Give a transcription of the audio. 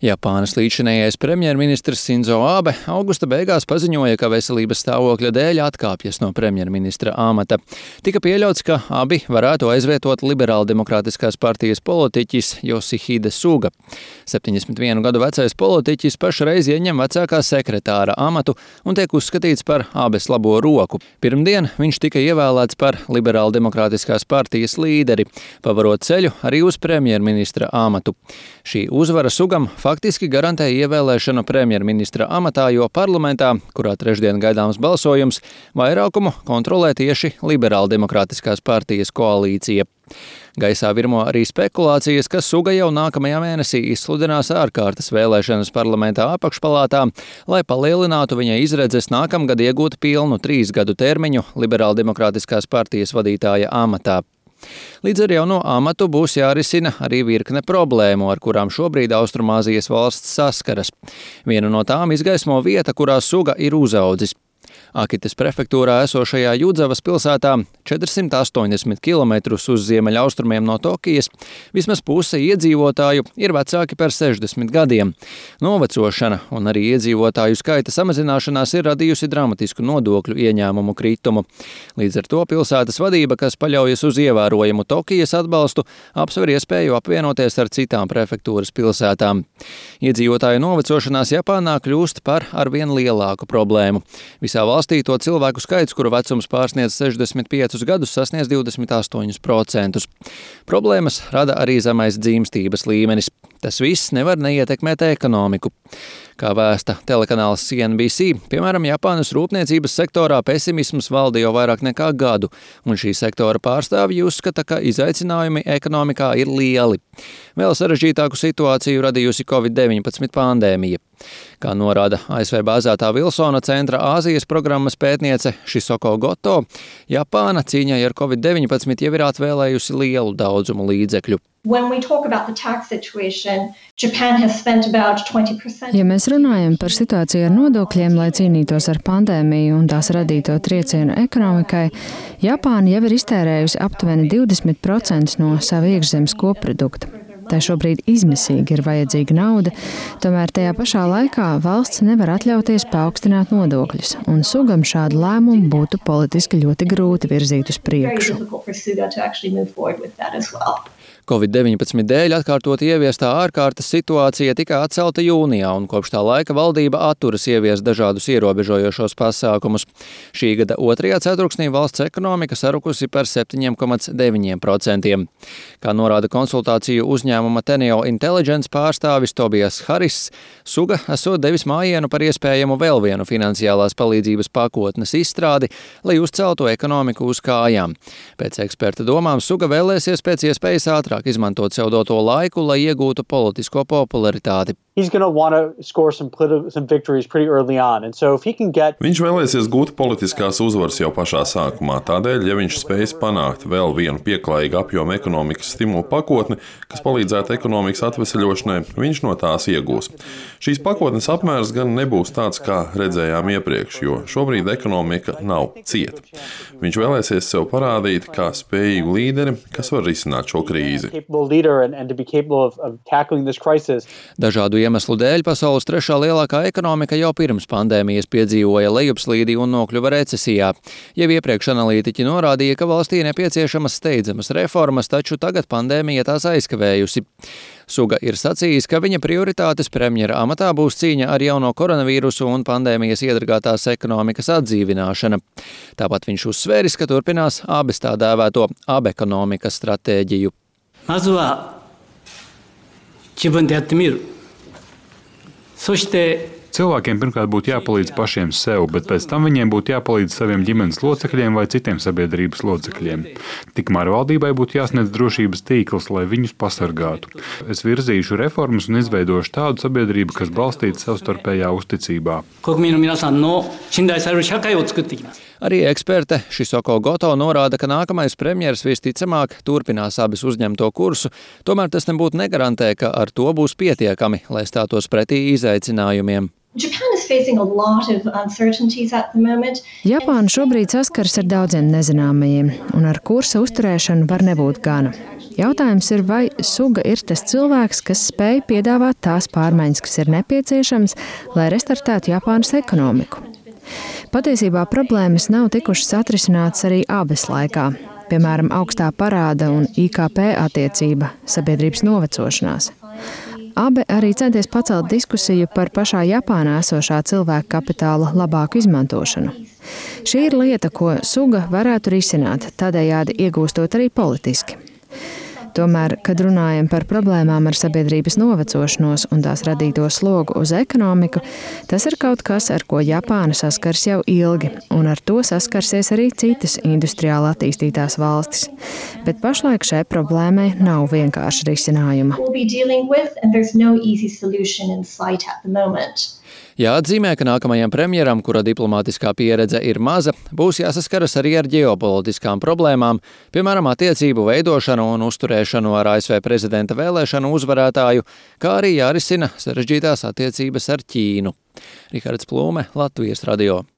Japānas līdzinējais premjerministrs Sinzo Abe augusta beigās paziņoja, ka veselības stāvokļa dēļ atkāpjas no premjerministra amata. Tika pieļauts, ka abi varētu aizvietot liberāldemokrātiskās partijas politiķis Yoshihide Suga. 71 gadu vecais politiķis pašreiz ieņem vecākā sekretāra amatu un tiek uzskatīts par Abes labo roku. Pirmdien viņš tika ievēlēts par liberāldemokrātiskās partijas līderi, pavarot ceļu arī uz premjerministra amatu. Šī uzvara Sugam faktiski garantēja ievēlēšanu premjerministra amatā, jo parlamentā, kurā trešdien gaidāms balsojums, vairākumu kontrolē tieši liberāldemokrātiskās partijas koalīcija. Gaisā virmo arī spekulācijas, ka Suga jau nākamajā mēnesī izsludinās ārkārtas vēlēšanas parlamentā apakšpalātā, lai palielinātu viņa izredzes nākamgad iegūt pilnu 3 gadu termiņu liberāldemokrātiskās partijas vadītāja amatā. Līdz ar jauno amatu būs jārisina arī virkne problēmu, ar kurām šobrīd Austrumāzijas valsts saskaras. Vienu no tām izgaismo vieta, kurā Suga ir uzaudzis. Akitas prefektūrā esošajā Judzavas pilsētā 480 km uz ziemeļaustrumiem no Tokijas vismaz puse iedzīvotāju ir vecāki par 60 gadiem. Novecošana un arī iedzīvotāju skaita samazināšanās ir radījusi dramatisku nodokļu ieņēmumu kritumu. Līdz ar to pilsētas vadība, kas paļaujas uz ievērojamu Tokijas atbalstu, apsver iespēju apvienoties ar citām prefektūras pilsētām. Iedzīvotāju novecošanās Japānā kļūst par arvien lielāku problēmu. Visā valstī to cilvēku skaits, kuru vecums pārsniedz 65 gadus, sasniedz 28%. Problēmas rada arī zemais dzimstības līmenis. Tas viss nevar neietekmēt ekonomiku. Kā vēsta telekanāls CNBC, piemēram, Japānas rūpniecības sektorā pesimisms valda jau vairāk nekā gadu, un šī sektora pārstāvji uzskata, ka izaicinājumi ekonomikā ir lieli. Vēl sarežģītāku situāciju radījusi Covid-19 pandēmija. Kā norāda ASV bāzētā Vilsona centra Āzijas programmas pētniece Shisoko Goto, Japāna cīņai ar Covid-19 jau ir atvēlējusi lielu daudzumu līdzekļu. Ja mēs runājam par situāciju ar nodokļiem, lai cīnītos ar pandēmiju un tās radīto triecienu ekonomikai, Japāna jau ir iztērējusi aptuveni 20% no sava iekšzemes koprodukta. Tā šobrīd izmisīgi ir vajadzīga nauda, tomēr tajā pašā laikā valsts nevar atļauties paaugstināt nodokļus, un Sugam šādu lēmumu būtu politiski ļoti grūti virzīt uz priekšu. Covid-19 dēļ atkārtot ieviestā ārkārtas situācija tika atcelta jūnijā, un kopš tā laika valdība atturas ieviest dažādus ierobežojošos pasākumus. Šī gada 2. ceturksnī valsts ekonomika sarukusi par 7,9%. Kā norāda konsultāciju uzņēmuma Teneo Intelligence pārstāvis Tobijas Haris, Suga esot devis mājienu par iespējamu vēl vienu finansiālās palīdzības pakotnes izstrādi, lai uzceltu ekonomiku uz kājām. Pēc eksperta domām Suga vēlēsies pēc iespējas ātrāk izmantot sev doto laiku, lai iegūtu politisko popularitāti. Viņš vēlēsies gūt politiskās uzvaras jau pašā sākumā. Tādēļ, ja viņš spējas panākt vēl vienu pieklājīgu apjomu ekonomikas stimulu pakotni, kas palīdzētu ekonomikas atveseļošanai, viņš no tās iegūs. Šīs pakotnes apmērs gan nebūs tāds, kā redzējām iepriekš, jo šobrīd ekonomika nav cieta. Viņš vēlēsies sev parādīt kā spējīgu līderi, kas var risināt šo krīzi. Dažādu iemeslu dēļ pasaules 3. lielākā ekonomika jau pirms pandēmijas piedzīvoja lejupslīdi un nokļuva recesijā. Jau iepriekš analītiķi norādīja, ka valstī nepieciešamas steidzamas reformas, taču tagad pandēmija tās aizkavējusi. Suga ir sacījis, ka viņa prioritātes premjera amatā būs cīņa ar jauno koronavīrusu un pandēmijas iedragātās ekonomikas atdzīvināšana. Tāpat viņš uzsvēris, ka turpinās Abes tā dēvēto abekonomikas stratēģiju. Cilvēkiem pirmkārt būtu jāpalīdz pašiem sev, bet pēc tam viņiem būtu jāpalīdz saviem ģimenes locekļiem vai citiem sabiedrības locekļiem. Tikmēr valdībai būtu jāsniedz drošības tīkls, lai viņus pasargātu. Es virzīšu reformas un izveidošu tādu sabiedrību, kas balstīta savstarpējā uzticībā. Arī eksperte Shisoko Goto norāda, ka nākamais premjers visticamāk turpinās Abes uzņemto kursu, tomēr tas nebūtu negarantē, ka ar to būs pietiekami, lai stātos pretī izaicinājumiem. Japāna šobrīd saskars ar daudziem nezināmajiem, un ar kursa uzturēšanu var nebūt gana. Jautājums ir, vai suga ir tas cilvēks, kas spēj piedāvāt tās pārmaiņas, kas ir nepieciešams, lai restartētu Japānas ekonomiku. Patiesībā problēmas nav tikušas atrisinātas arī abas laikā. Piemēram, augstā parāda un IKP attiecība, sabiedrības novecošanās. Abi arī centies pacelt diskusiju par pašā Japānā esošā cilvēka kapitāla labāku izmantošanu. Šī ir lieta, ko suga varētu risināt, tādējādi iegūstot arī politiski. Tomēr, kad runājam par problēmām ar sabiedrības novecošanos un tās radīto slogu uz ekonomiku, tas ir kaut kas, ar ko Japāna saskars jau ilgi, un ar to saskarsies arī citas industriāli attīstītās valstis. Bet pašlaik šai problēmai nav vienkārša risinājuma. Jāatzīmē, ka nākamajam premjeram, kura diplomātiskā pieredze ir maza, būs jāsaskaras arī ar ģeopolitiskām problēmām, piemēram, attiecību veidošanu un uzturēšanu ar ASV prezidenta vēlēšanu uzvarētāju, kā arī jārisina sarežģītās attiecības ar Ķīnu. Rihards Plūme, Latvijas radio.